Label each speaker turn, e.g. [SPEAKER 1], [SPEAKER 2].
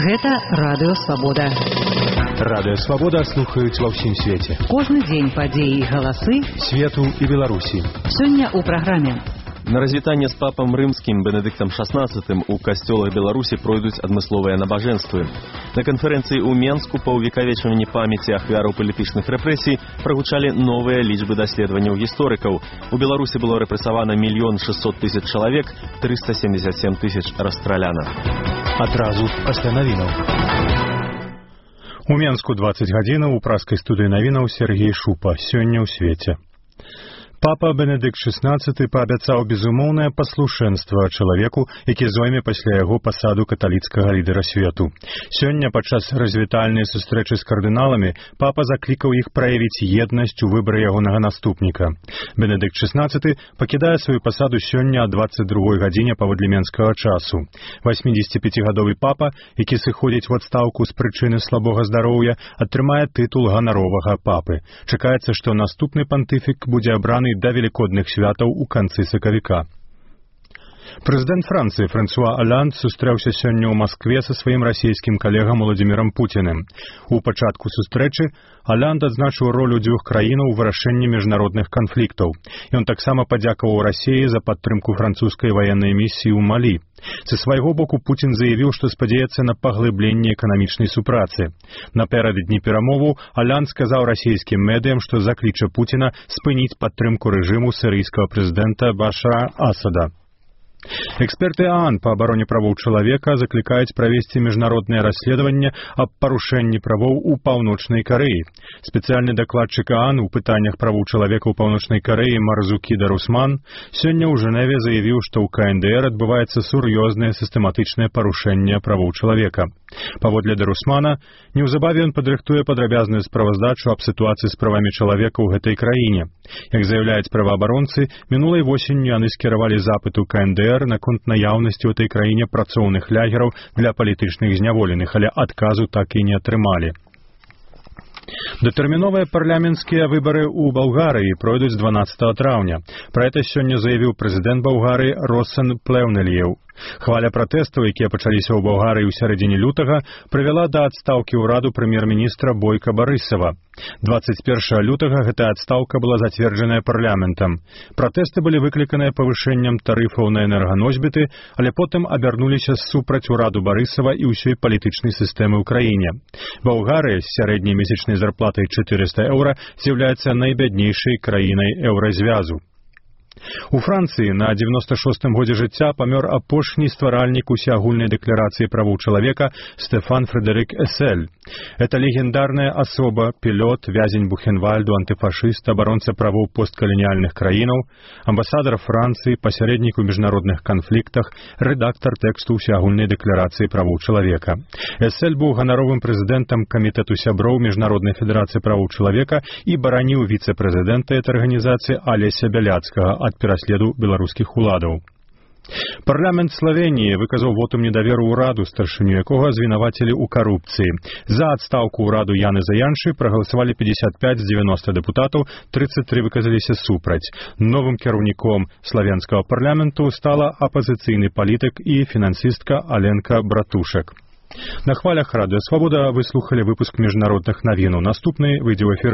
[SPEAKER 1] Гэта Радыё Свабода.
[SPEAKER 2] Радыё Свабода слухаюць ва ўсім свеце.
[SPEAKER 1] Кожны дзень падзеі і галасы
[SPEAKER 2] свету і Беларусі.
[SPEAKER 1] Сёння ў праграме.
[SPEAKER 3] На развітанне з папам рымскім Бенедыктам XVI у касцёлах Беларусі пройдуць адмысловыя набажэнствы. На канферэнцыі ў Менску па ўвекавечванні памяці ахвяраў палітычных рэпрэсій прагучалі новыя лічбы даследаванняў гісторыкаў. У Беларусі было рэпрэсавана 1 600 000 чалавек, 377 000 расстраляна.
[SPEAKER 2] Адразу пасля навінаў. У Менску 20 гадзінаў у праскай студыі навінаў Сергей Шупа. Сёння ў свеце. Папа Бенедыкт XVI паабяцаў безумоўнае паслушэнства чалавеку, які зойме пасля яго пасаду каталіцкага лідара свету. Сёння падчас развітальнай сустрэчы з кардыналамі папа заклікаў іх праявіць еднасць у выбары ягонага наступніка. Бенедыкт XVI пакідае сваю пасаду сёння о 22 гадзіне паводле менскага часу. 85-гадовы папа, які сыходзіць у адстаўку з прычыны слабога здароўя, атрымае тытул ганаровага папы. Чакаецца, што наступны пантыфік будзе абраны да велікодных святаў у канцы сакавіка. Прэзідэнт Францыі Франсуа Оланд сустрэўся сёння ў Маскве са сваім расійскім калегам Уладзімірам Пуціным. У пачатку сустрэчы Оланд адзначыў ролю дзвюх краінаў у вырашэнні міжнародных канфліктаў. Ён таксама падзякаваў Расіі за падтрымку французскай ваеннай місіі ў Малі. Са свайго боку Пуцін заявіў, што спадзяецца на паглыбленне эканамічнай супрацы. Напярэдадні перамоваў Оланд сказаў расійскім медыям, што закліча Пуціна спыніць падтрымку рэжыму сірыйскага прэзідэнта Башара Асада. Эксперты ААН па абароне правоў чалавека заклікаюць правесці міжнароднае расследаванне аб парушэнні правоў у Паўночнай Карэі. Спецыяльны дакладчык ААН у пытаннях правоў чалавека ў Паўночнай Карэі Марзукі Дарусман сёння ў Жэневе заявіў, што ў КНДР адбываецца сур'ёзнае сістэматычнае парушэнне правоў чалавека. Паводле Дарусмана, неўзабаве ён падрыхтуе падрабязную справаздачу аб сітуацыі з правамі чалавека ў гэтай краіне. Як заяўляюць праваабаронцы, мінулай восенню яны скіравалі запыт у КНДР наконт наяўнасці ў этой краіне працоўных лагераў для палітычных зняволеных, але адказу так і не атрымалі. Датэрміновыя парламенцкія выбары ў Балгарыі пройдуць 12 траўня. Пра гэта сёння заявіў прэзідэнт Балгарыі Росен Плеўнельеў. Хваля пратэстаў, якія пачаліся ў Балгарыі ў сярэдзіне лютага, прывяла да адстаўкі ўраду прэм'ер-міністра Бойка Барысава. 21 лютага гэтая адстаўка была зацверджаная парламентам. Пратэсты былі выкліканыя павышэннем тарыфаў на энерганосьбіты, але потым абярнуліся супраць ураду Барысава і ўсёй палітычнай сістэмы ў краіне. Балгарыя з сярэдняй месячнай зарплатай 400 еўра з'яўляецца найбяднейшай краінай еўразвязу. У Францыі на 96-м годзе жыцця памёр апошні стваральнік усеагульнай дэкларацыі правоў чалавека Стэфан Фрэдэрык Эсель. Это легендарная асоба, пілот, вязень Бухенвальду, антыфашыст, абаронца правоў посткаланіяльных краінаў, амбасадар Францыі, пасярэднік у міжнародных канфліктах, рэдактар тэксту усеагульнай дэкларацыі правоў чалавека. Эсель быў ганаровым прэзідэнтам камітэту сяброў Міжнароднай федэрацыі правоў чалавека і бараніў віцэ-прэзідэнта этой арганізацыі Алеся Бяляцкага ад пераследу беларускіх уладаў. Парламент Славеніі выказаў вотум недаверу ўраду, старшыню якога звінавацілі ў карупцыі. За адстаўку ўраду Яны Заяншы прагаласавалі 55 з 90 дэпутатаў, 33 выказаліся супраць. Новым кіраўніком славенскага парламенту стала апазіцыйны палітык і фінансістка Аленка Братушак. На хвалях Радыё Свабода вы слухалі выпуск міжнародных навінаў. Наступны выйдзе ў эфір